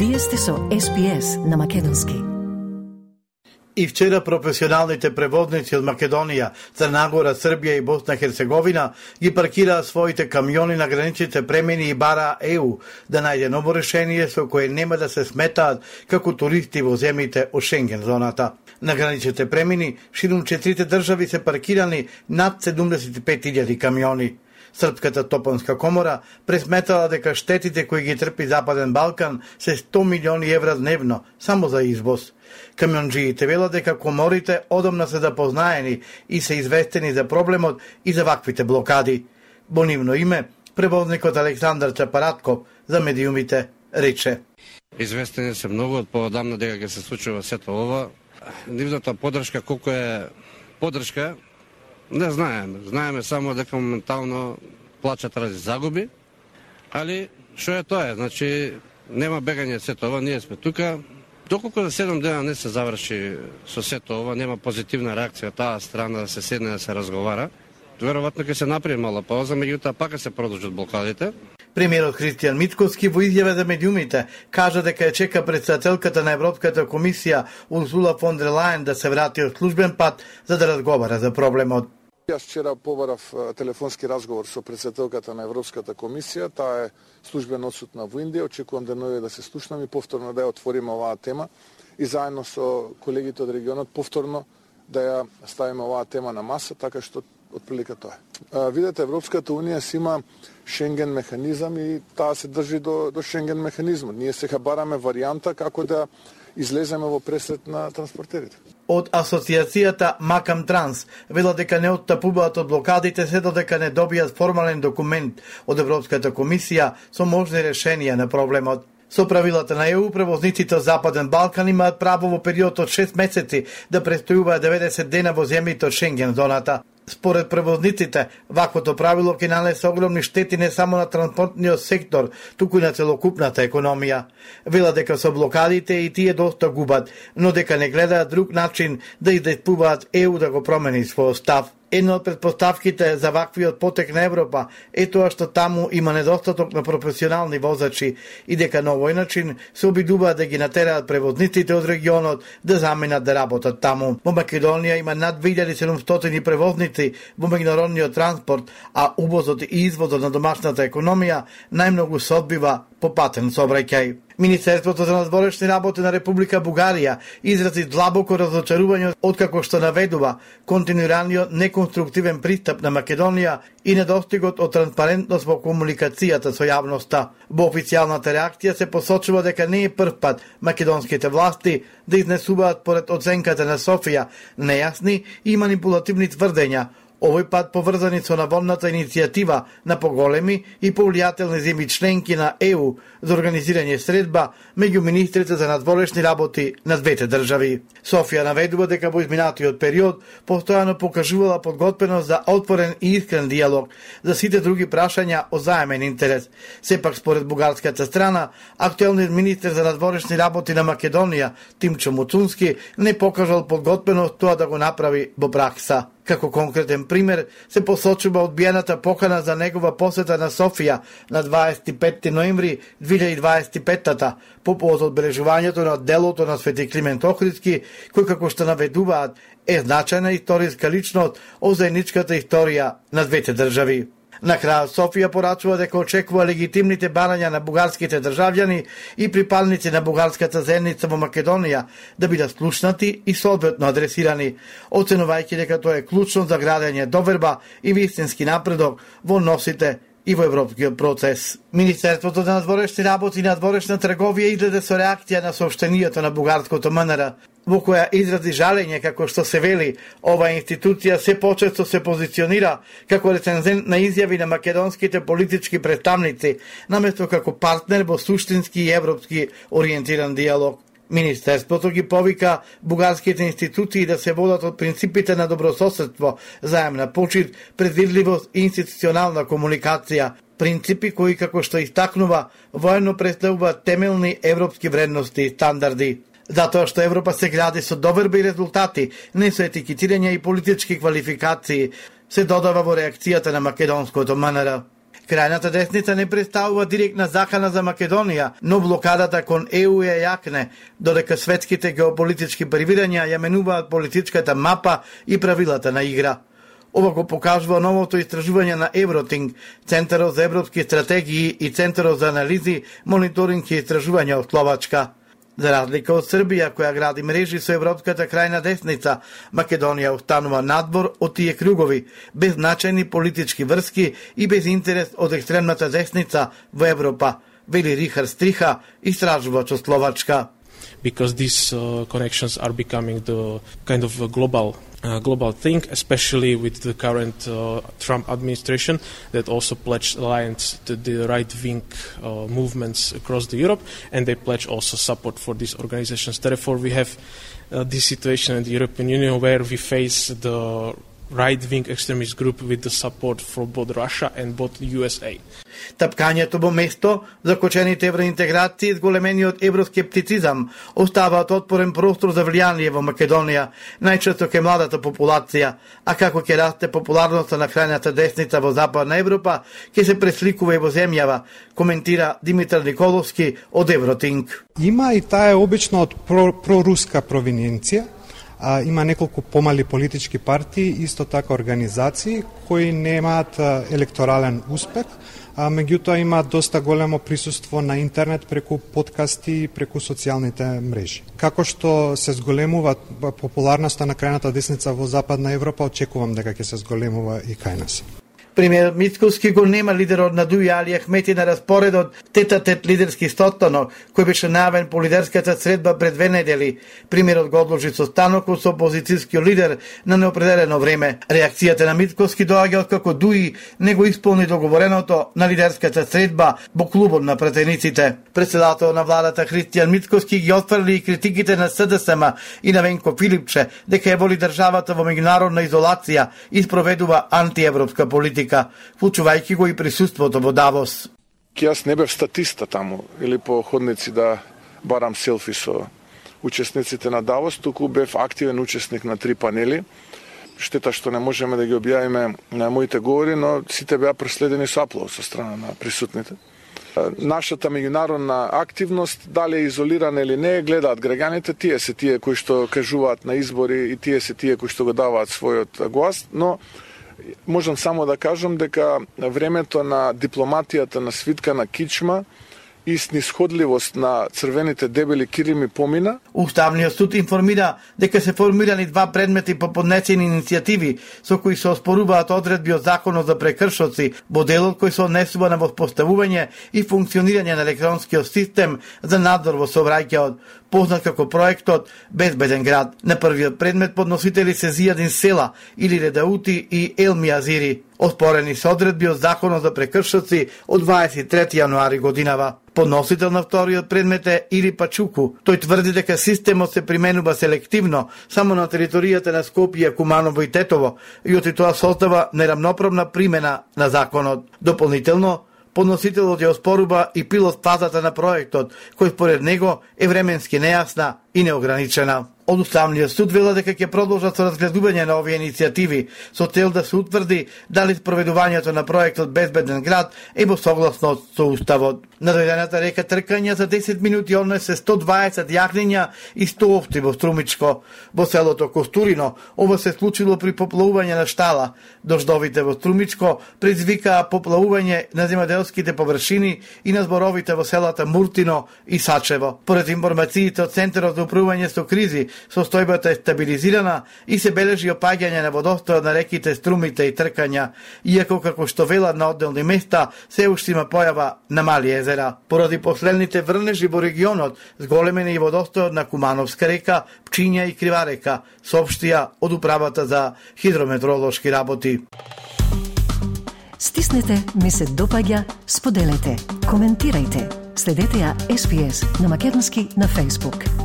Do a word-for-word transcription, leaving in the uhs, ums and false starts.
Вие сте со Ес Би Ес на македонски. И вчера професионалните превозници од Македонија, Црна Гора, Србија и Босна Херцеговина ги паркираа своите камиони на граничните премини и бараа Е У да најде ново решение со кое нема да се сметаат како туристи во земјите од Шенген зоната. На граничните премини ширум четирите држави се паркирани над седумдесет и пет илјади камиони. Српската топанска комора пресметала дека штетите кои ги трпи Западен Балкан се сто милиони евра дневно само за извоз. Камионџиите велат дека коморите одамна се запознаени и се известени за проблемот и за ваквите блокади. Во нивно име, превозникот Александар Чапаратков за медиумите рече: Известени се многу од поодамна дека ќе се случува сето ова. Нивната поддршка, колку е поддршка, не знаеме. Знаеме само дека моментално плачат рази загуби, али што е тоа? Значи, нема бегање сето ова, ние сме тука. Доколку за седум дена не се заврши со сето ова, нема позитивна реакција таа страна да се седне да се разговара, веројатно ќе се направи мала пауза, меѓутоа пак се продолжат блокадите. Премиерот Христијан Мицкоски во изјава за медиумите кажа дека ја чека претседателката на Европската комисија Урсула фон дер Лајен да се врати од службен пат за да разговара за проблемот. Јас вчера побарав телефонски разговор со претседателката на Европската комисија, таа е службено одсутна во Индија, очекувам денови да се слушнам и повторно да ја отвориме оваа тема и заедно со колегите од регионот повторно да ја ставиме оваа тема на маса, така што отприлика тоа е. Видете, Европската унија си има Шенген механизам и таа се држи до, до Шенген механизмот. Ние сега бараме варијанта како да излеземе во пресрет на транспортерите. Од асоциацијата Макам Транс велат дека не оттапуваат од блокадите се додека не добијат формален документ од Европската комисија со можни решенија на проблемот. Со правилата на Е У, превозниците од Западен Балкан имаат право во период од шест месеци да престојуваат деветдесет дена во земјите од Шенген зоната. Според превозниците, ваквото правило ќе нанесе огромни штети не само на транспортниот сектор, туку и на целокупната економија. Вела дека со блокадите и тие доста губат, но дека не гледаат друг начин да издействуваат Е У да го промени својот став. Една од предпоставките за ваквиот потек на Европа е тоа што таму има недостаток на професионални возачи и дека на овој начин се обидуваат да ги натераат превозниците од регионот да заменат да работат таму. Во Македонија има над две илјади и седумстотини превозници во меѓународниот транспорт, а увозот и извозот на домашната економија најмногу се одбива по патен сообраќај. Министерството за надворешни работи на Република Бугарија изрази длабоко разочарување откако што наведува континуираниот неконструктивен пристап на Македонија и недостигот од транспарентност во комуникацијата со јавноста. Во официјалната реакција се посочува дека не е прв пат македонските власти да изнесуваат поред оценката на Софија нејасни и манипулативни тврдења, овој пат поврзани со наводната иницијатива на поголеми и повлијателни земји членки на Е У за организирање средба меѓу министрите за надворешни работи на двете држави. Софија наведува дека во изминатиот период постојано покажувала подготвеност за отворен и искрен диалог за сите други прашања од заемен интерес. Сепак според бугарската страна, актуелниот министер за надворешни работи на Македонија Тимчо Муцунски не покажал подготвеност тоа да го направи во пракса. Како конкретен пример се посочува одбиената покана за негова посета на Софија на дваесет и петти ноември две илјади дваесет и петта по повод одбележувањето на делото на Свети Климент Охридски, кој како што наведуваат е значајна историска личност од заедничката историја на двете држави. На крај Софија порачува дека очекува легитимните барања на бугарските државјани и припадници на бугарската заедница во Македонија да бидат слушнати и соодветно адресирани, оценувајќи дека тоа е клучно за градење доверба и вистински напредок во односите и во европскиот процес. Министерството за надворешни работи и надворешна трговија излезе со реакција на соопштенијето на бугарското М Н Р, во која изрази жалење како што се вели, оваа институција се почесто се позиционира како рецензент на изјави на македонските политички представници, наместо како партнер во суштински и европски ориентиран диалог. Министерството ги повика бугарските институции да се водат од принципите на добрососедство, заемна почит, предвидливост и институционална комуникација, принципи кои, како што истакнува, воено представуваат темелни европски вредности и стандарди. Затоа што Европа се гради со доверба и резултати, не со етикетирање и политички квалификации, се додава во реакцијата на македонското М Н Р. Крајната десница не представува директна закана за Македонија, но блокадата кон Е У е јакне, додека светските геополитички превирања ја менуваат политичката мапа и правилата на игра. Ова го покажува новото истражување на Евротинг, Центарот за европски стратегии и Центарот за анализи, мониторинг и истражувања од Словачка. За разлика од Србија, која гради мрежи со европската крајна десница, Македонија останува надвор од тие кругови, без значајни политички врски и без интерес од екстремната десница во Европа, вели Рихард Стриха, истражувач од Словачка. Because these uh, connections are becoming the kind of a global uh, global thing, especially with the current uh, Trump administration that also pledged alliance to the right-wing uh, movements across the Europe, and they pledge also support for these organizations. Therefore, we have uh, this situation in the European Union where we face the right-wing extremist group with the support from both Russia and both U S A. Тапкањето во место, закочените евроинтеграции и зголемениот евроскептицизам оставаат отпорен простор за влијание во Македонија, најчесто кај младата популација, а како ќе расте популарноста на крајната десница во Западна Европа, ќе се пресликува и во земјава, коментира Димитар Николовски од Евротинг. Има и таа е обично од про, проруска провиненција. А, има неколку помали политички партии, исто така организации кои немаат електорален успех, а меѓутоа имаат доста големо присуство на интернет преку подкасти и преку социјалните мрежи. Како што се зголемува популарноста на крајната десница во Западна Европа, очекувам дека ќе се зголемува и кај нас. Премиерот Мицкоски го нема лидерот на Дуј Али Ахмети на распоредот тета-тет лидерски состанок, кој беше најавен по лидерската средба пред две недели. Премиерот го одложи состанокот со опозицијскиот лидер на неопределено време. Реакцијата на Мицкоски доаѓа откако Дуј не го исполни договореното на лидерската средба во клубот на пратениците. Председател на владата Христијан Мицкоски ги отфрли и критиките на С Д С М и на Венко Филипче дека ја воли државата во меѓународна изолација и спроведува антиевропска политика, вклучувајќи го и присуството во Давос. Јас не бев статиста таму или по ходници да барам селфи со учесниците на Давос, туку бев активен учесник на три панели. Штета што не можеме да ги објавиме на моите говори, но сите беа преследени со аплауз со страна на присутните. Нашата меѓународна активност, дали е изолирана или не, гледаат граѓаните, тие се тие кои што кажуваат на избори и тие се тие кои што го даваат својот глас, но можам само да кажам дека времето на дипломатијата на свитка на кичма и снисходливост на црвените дебели кирими помина. Уставниот суд информира дека се формирани два предмети по поднесени иницијативи со кои се оспоруваат одредби од Законот за прекршоци во делот кој се однесува на воспоставување и функционирање на електронскиот систем за надзор во сообраќајот, познат како проектот Безбеден град. На првиот предмет подносители се Зијадин Села или Редаути и Елми Азири, оспорени со одредби од Законот за прекршоци од дваесет и трети јануари годинава. Подносител на вториот предмет е Ири Пачуку. Тој тврди дека системот се применува селективно само на територијата на Скопје, Куманово и Тетово и оти тоа создава неравноправна примена на законот. Дополнително, подносителот ја оспорува и пилот фазата на проектот, кој според него е временски нејасна и неограничена. Од Уставниот суд вела дека ќе продолжат со разгледување на овие иницијативи со цел да се утврди дали спроведувањето на проектот Безбеден град е во согласност со Уставот. На дојдената река тркања за десет минути однесе сто дваесет јагниња и сто овци во Струмичко. Во селото Костурино ова се случило при поплавување на штала. Дождовите во Струмичко предизвикаа поплавување на земјоделските површини и на зборовите во селата Муртино и Сачево. Поред информациите од Центарот за управување со кризи, состојбата е стабилизирана и се бележи опаѓање на водостојот на реките Струмите и Тркања, иако како што велат на одделни места се уште има појава на мали езера. Поради последните врнежи во регионот, зголемен е и водостојот на Кумановска река, Пчиња и Крива река, соопштија од управата за хидрометеоролошки работи. Стиснете, ми се допаѓа, споделете, коментирајте. Следете ја Ес Би Ес на македонски на Facebook.